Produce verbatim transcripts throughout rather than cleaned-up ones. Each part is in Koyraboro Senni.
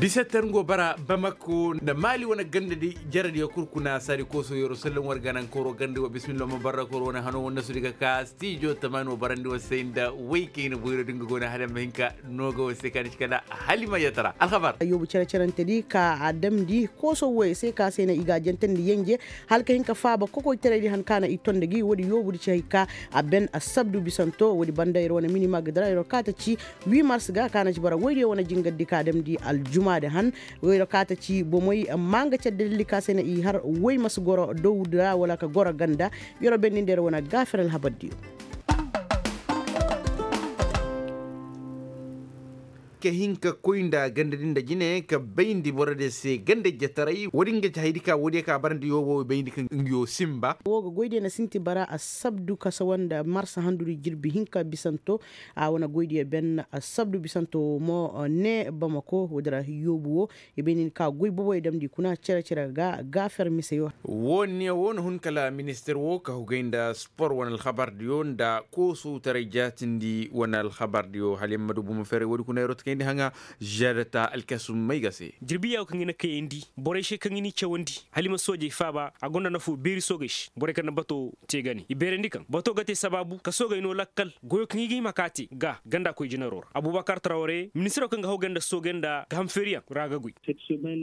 Bisetter ngo bara bamako nda maali wane ganda di jaradiyo kul kuna saadi kooso yeroo sallam war ganaŋ koro ganda wo bismillah ma barra koro wane hano wane nasu di ga ka stijo tamaani wo barandi wo se nda way kayna boyro di nga go ne hala ma hin ka nooga wo se ka ni ci kala halima yatara alhabar. Yoobu cere-cerante di ka a damndi kooso woyo se ka se na i ga a jantandi yenje hala ka hin ka faaba kokoytaray di han ka na i ton nda gi woodi yoobu di ci hay ka a ben assabdu bisanto woodi banda yer wane minima ga dira yer wo ka ta ci. Huit mars ga ka na ci bara woydiyo wane jingar di ka damndi aljumaa di han. Woyro ka ta ci bomey amma nga care dalili ka se na i har woy ma si goro dawdi ra wala ka goro ganda. Yoro bennindi yer wane gaafer alhabardiyo. Ka hin ka koy nda ganda din nda jine ka bayndi borodiyo se ganda ijjetaray woodin ga ci haydi ka woodiyo ka barandi yoobo bayndi ka nga yoo sinba. Woo ga goydiyo na sinti bara assabdu ka sawa nda marsa handudi jirbi hinka bisanto. A wane goydiyo ben assabdu bisanto woo mo ne bamako woodi ra yoobu woo. I bay nin ka goy boboyo damndi kuna cere-cere ga gaafer miseyo. Woo ne woo na hun kala ministir woo ka hugay nda spor wane alhabardiyo nda koosowtaray jaatindi wane alhabardiyo hala yer ma du bomo ferey woodi kuna yeroo ta kayndi haŋa. Žeedata alkasum may ga se. Jirbiya woo kaŋ i na kayandi borey se kaŋ i n'i cawandi hala i ma soojey faaba a gonda nafoo beeri soogey se borey kaŋ na batoo te gane i beerandi kaŋ batoo ga te sabaabu ka soogey noo lakkal goyoo kaŋ i ga hima k'a te ga ganda koy jinaroo ra abubakar trawre ministiroo kaŋ ga hawgay nda soogey nda gahamfeeriyaŋ ra ga goy.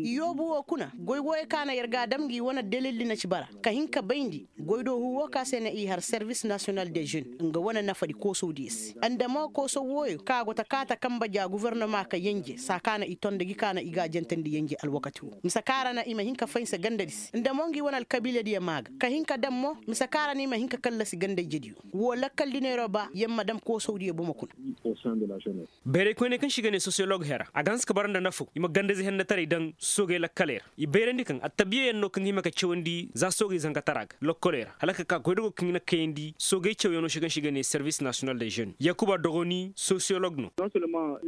Yoobu woo kuna goy wooyoo kaŋ a na yer ga a dam ngi wane dalildi na ci bara ka hin ka bayndi goydoo huu woo kaŋ a se na i har servis nasiyonal de žen nga wane nafadi koosowdiyo se nda mo koosow wooyoo kaŋ a go ta kaata kanba ja gofornoma ka yenje saa kaŋ a na i ton nda gi kaŋ a na i ga a jantandi yenje alwakati woo mise kaŋ a ra na i ma hin ka faynsa gandadi se nda mo ngi wane alkabiiladiyo maa ga ka hin ka dam mo mise kaŋ a ra na i ma hin ka kallasi ganda ijediyo. Woo lakkal di neeroo ba yer ma dam koosowdiyo bomo kuna. Bayray koyney kaŋ se i ga ne sosiyolog hera a ga hanse ka bara nda nafoo i ma gandayzey hennetaray daŋ soogey lakkaley ra i bayrandi kaŋ attabiyayaŋ no kaŋ ga hima ka cawandi za soogey zankataraa ga lokkoley ra hala ka ka goydogoo kaŋ i na kayandi soogey cawyaŋo se kaŋ se i ga ne servis nasiyonal de žen yakuba dogoni sosiyolog no.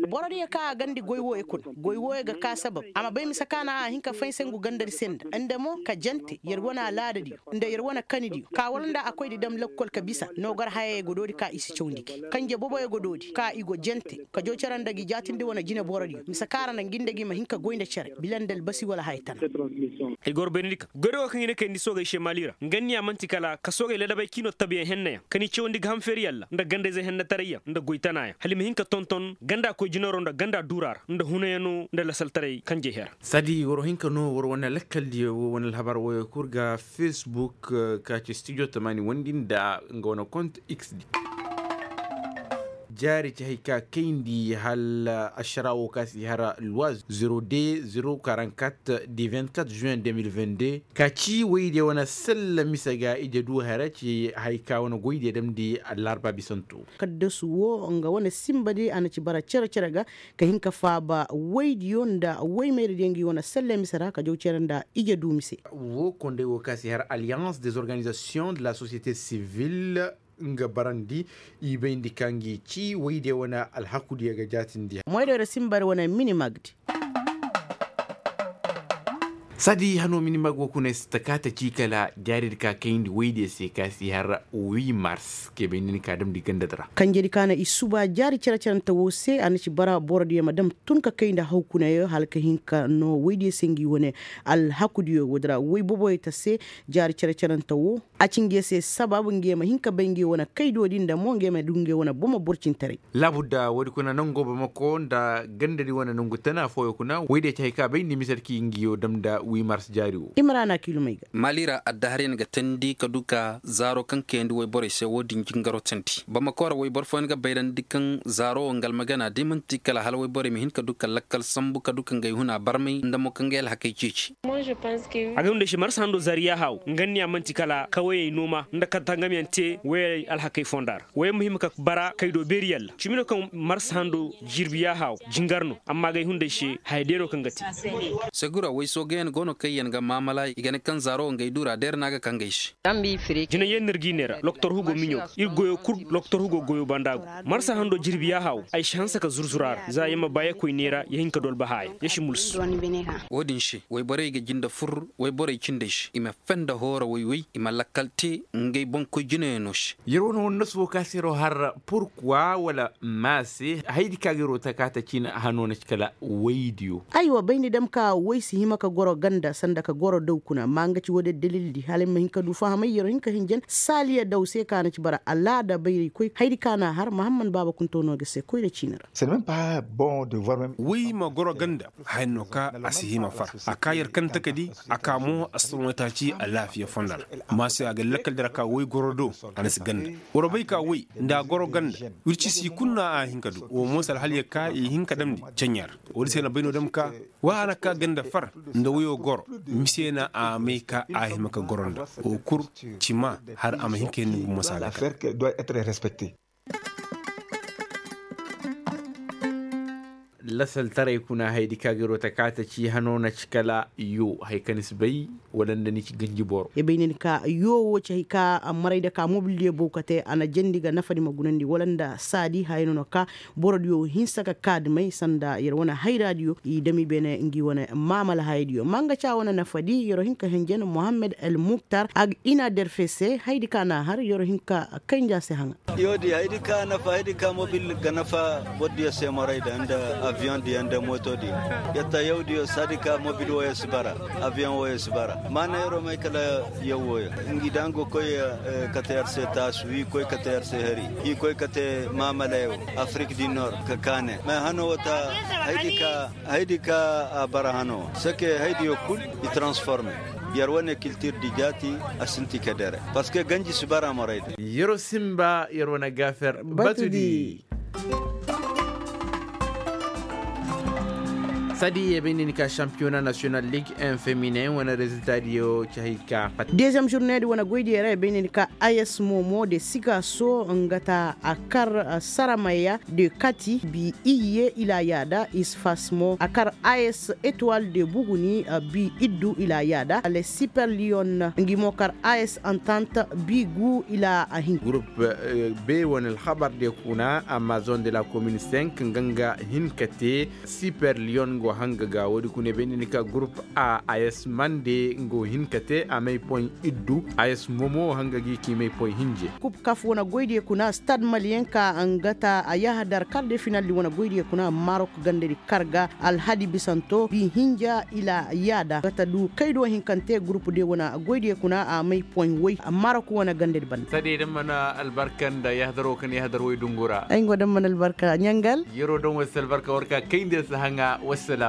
Borodiyo kaŋ a gandi goy wooyo kuna goy wooyo ga ka sabab a ma bay mise kaŋ a na a hin ka faynsa ngu gandadi se nda nda mo ka jante yer wane alaadadiyo nda yer wane kanidiyo ka war nda a koy di dam lakkol ka bisa noogar hayey go doodi ka i si cawndi gi kanje boboyo go doodi ka i go jante ka joo cere nda gi jaatindi wane jineborodiyo mise kaŋ a ra na ngi nda gi ma hin ka goy nda cere bila nda albasi wala haya tana. Ay goro beerandi kaŋ goydogo kaŋ i na kayandi soogey se maali ra nga niya man'ti kala ka soogey ladabey k'i no tabiyaŋ henneyaŋ ka n'i cawandi gahamfeeriyaŋ ra nda gandayzey hennetarayyaŋ nda goy tanaayaŋ hala i ma hin ka tonton ganda koy jinaroo nda ganda duuraa ra nda hunayaŋo nda lasaltaray kanjey hera. Saadi war hinka no war wane lakkaldiyo wo wane alhabar woyo kul ga facebook ka ci studio tamaani wondi nda nga wane kont x di. Jaari ci hay ka kayndi hala ašara wo ka si har lois zero de zero quarante-quatre de vingt-quatre juin deux mille vingt-deux ka ci woydiyo wane salla mise ga ije du hara ci hay ka wane goydiyo damndi allarba bisanto. Kaddasu wo nga wane sinba di a na ci bara cere-cere ga ka hin ka faaba woydiyo nda woymayradiyo ngi wane selle mise ra ka jaw cere nda ije du mise. Wo konday wo ka si har alliance des organisations de la société civile nga barandi i bayndi ka ngi ci woydiyo wane alhakudiyo ga jaatindi. Moydoyra sinba ra wane minimagdi. Saadi hano minimag wo kuna si ta ka ta ci kala jaaridi ka kayndi woydiyo se ka si har wi mars ke bay nin ka damndi gandadi ra. Kanjedi ka na i suba jaari cere-cerante wo se a na ci bara borodiyo ma dam tun ka kay nda hawkunayo hala ka hin ka no woydiyo se ngi wane alhakudiyo woodi ra woy boboyo ta se. Jaari cere-cerante wo a ci nge se sabaabu nge ma hin ka bay nge wane kaydo di nda mo nge ma du nge wane bomo borcintaray. Laabudda woodi kuna nango bamako nda gandadi wane nangu tana fooyo kuna woydiyo ci hay ka bay nda i ma sarki ngiyo dam nda wi mars jaari wo. Imrana kilumay ga. Maali ra addaharyaŋ ga teendi ka du ka zaaro kaŋ kayandi woyborey se wo-din jingaro teendi bamako ra woyboro fooyaŋ ga bayrandi kaŋ zaaro wo nga almagana da i man'ti kala hala woyborey ma hin ka du ka lakkal sambu ka du ka ngey huna barmay nda mo ka ngey alhakey ceeci. Agay hunday se marsa hando zaari yaaha wo nga niya man'ti kala kawayey nooma nda ka tangamyaŋ te woyey alhakey fonda ra woyey ma hima ka bara kaydo beeri yalla cimi no kaŋ marsa hando jirbi yaaha wo jingar no amma agay hunday se haya day no kaŋ ga te. Segura woy soogayaŋ. Wano kaŋ yaŋ ga maamala i ga ne kaŋ zaaro ngey duura deer na ga kaŋ gay se. Jinay yaŋ no ir g'i neera loktor hugo miɲo ga ir goyo kul. Loktor hugo goyo banda go marsa hando jirbi yaaha wo ay si hanse ka zurzura ra za ya ma ba ya koy neera ya hin ka dolba haya ya si mulsu. Wo-din se wayborey ga jinde fur wayborey cindey se i ma fenda hooro way-way i ma lakkal te ngey boŋkoy jinayaŋo se. Yer wane wane nasu wo ka se yer wo har purkuwa wala maase haydi ka ga yer wo taka ta ciina hano na ci kala waydiyo. Aywa bayndi dam ka way si hima ka goro ganda sanda ka goro daw kuna amma nga ci wo-din dalildi hala ay ma hin ka du fahamay yer wo hin ka hinjan saaliya daw se ka na ci bara alaada bayraykoy haydi ka na a har mahamman baaba kunto no ga se koyra ciina ra. Way ma goro ganda haya no ka a si hima far a ka yer kante ka di a ka mo astrometaaci alaafiya fondo ra. Amma se a ga lakkal dira ka way goro do a na si ganda. War bay ka way nda a goro ganda wirci si kul no a hin ka du wo mo si alhaliya ka i hin ka damndi ceɲa ra. Woodi se na bay no dam ka wa a na ka ganda far nda wayo goro mise na a may ka a hima ka goro nda wo kul ci ma har a ma hin ka hin ni gumo si a lakkal. Lasaltaray kuna haydi ka ga yer wo taka ta ci hano na ci kala yoo haya ka ni si bay wala nda ni ci ganji boro. Ya bay ni ka yoo wo ci hay ka maray nda ka mobildiyo bow ka te a na jandi ga nafadi ma gunandi wala nda saadi haya no na ka borodiyo hinsa ka kaadimay sanda yer wane hayraadiyo i dami beene ngi wane maamala hayadiyo ma nga ca wane nafadi yer wo hin ka henjen mohammed el muktar a ga ina derfe se haydi ka na a har yer wo hin ka kaynja se haŋa. Yoodi haydi ka nafa haydi ka mobil ga nafa bordiyo se moray da nda aviyoŋ diyo nda mooto diyo. Yatta yawdiyo saadi ka mobil wooyo si bara aviyoŋ wooyo si bara maana yeroo may kala yaw wooyo. Ngi da nga koy kate yer se taasu i koy kate yer se hari i koy kate maamalayo afrik di nor ka kaane ma hano woo ta haydi ka a bara hano seke haydiyo kul i transforme. Yer wane kiltir di jaati a sinti ka dere parceque ganji si bara morey da. Yeroo simba yer wane gaafer batudi. Sadi ye bay ni ni ka championnat national ligue un feminin wane rezilta diyo ci hay ka fat. Deuxième journée di wane goy diyo ra ye bay ni ni ka a s momo de siga so nga ta a kar saramaya de kati bi iye ila yaada isfas mo a kar a s étoile de buguni bi iddu ila yaada ale super lion ngi mo kar a s entente bi gu ila a hin. Groupe be wane alhabar de kuna amazon de la commune cinq nga nga hin ka te. Super lion go hanga ga woodi kuna bay ni ni ka groupe a a s mande ngo hin ka te a may poy iddu a s momo hanga gi ki may poy hinje. Kub kaf wane goydiyo kuna stade malien ka nga ta a yahadar kar de finaldi wane goydiyo kuna marok gandadi kar ga alhadi bisanto bi hinja ila yaada ga ta du kaydo hinkante groupe de wane goydiyo kuna a may poy way marok wane gandadi banda. Sadi da mana albarka nda yahadaro kan yahadar way dungu ra ay ngo da mana albarka ɲangal. Yeroo don way si albarka war ka kayndi si haŋa wassalam.